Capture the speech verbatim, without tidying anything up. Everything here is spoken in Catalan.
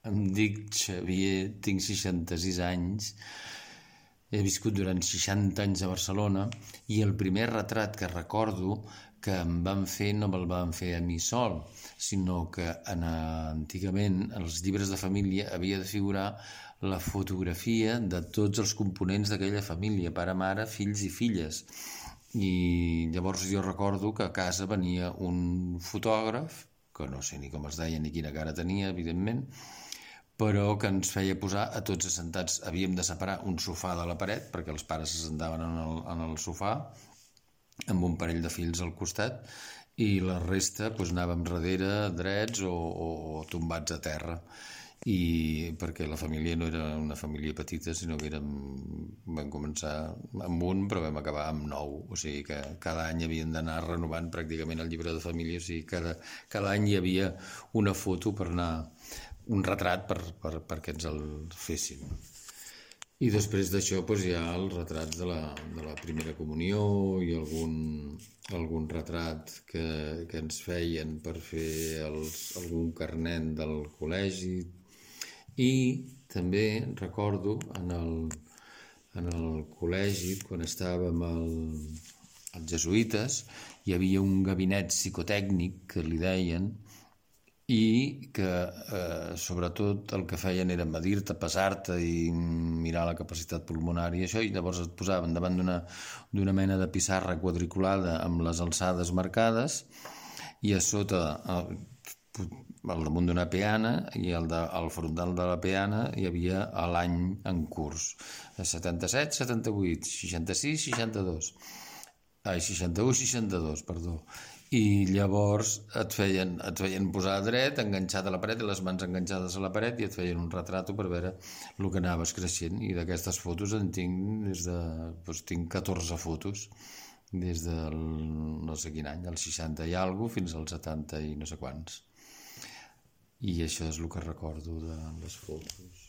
Em dic Xavier, tinc seixanta-sis anys, he viscut durant seixanta anys a Barcelona i el primer retrat que recordo que em van fer no me'l van fer a mi sol, sinó que en, antigament en els llibres de família havia de figurar la fotografia de tots els components d'aquella família, pare, mare, fills i filles. I llavors jo recordo que a casa venia un fotògraf, que no sé ni com es deia ni quina cara tenia, evidentment, però que ens feia posar a tots assentats. Havíem de separar un sofà de la paret, perquè els pares s'assentaven en el, en el sofà, amb un parell de fills al costat, i la resta doncs, anàvem darrere, drets o, o tombats a terra. I perquè la família no era una família petita, sinó que érem, vam començar amb un, però vam acabar amb nou. O sigui que cada any havien d'anar renovant pràcticament el llibre de família, o sigui cada, cada any hi havia una foto per anar, un retrat per, per, perquè ens el fessin. I després d'això doncs, hi ha els retrats de la, de la primera comunió i algun, algun retrat que, que ens feien per fer els, algun carnet del col·legi. I també recordo en el, en el col·legi, quan estàvem al, als jesuïtes, hi havia un gabinet psicotècnic que li deien, i que eh, sobretot el que feien era medir-te, pesar-te i mirar la capacitat pulmonar i això, i llavors et posaven davant d'una d'una mena de pissarra quadriculada amb les alçades marcades i a sota al, al damunt d'una peana i al, de, al frontal de la peana hi havia l'any en curs, setanta-set, setanta-vuit, seixanta-sis, seixanta-dos, ai, seixanta-u, seixanta-dos, perdó. I llavors et feien, et feien posar dret, enganxat a la paret, i les mans enganxades a la paret, i et feien un retrato per veure el que anaves creixent. I d'aquestes fotos en tinc des de... Doncs tinc catorze fotos, des del no sé quin any, el seixanta i alguna cosa, fins als setanta i no sé quants. I això és el que recordo de les fotos.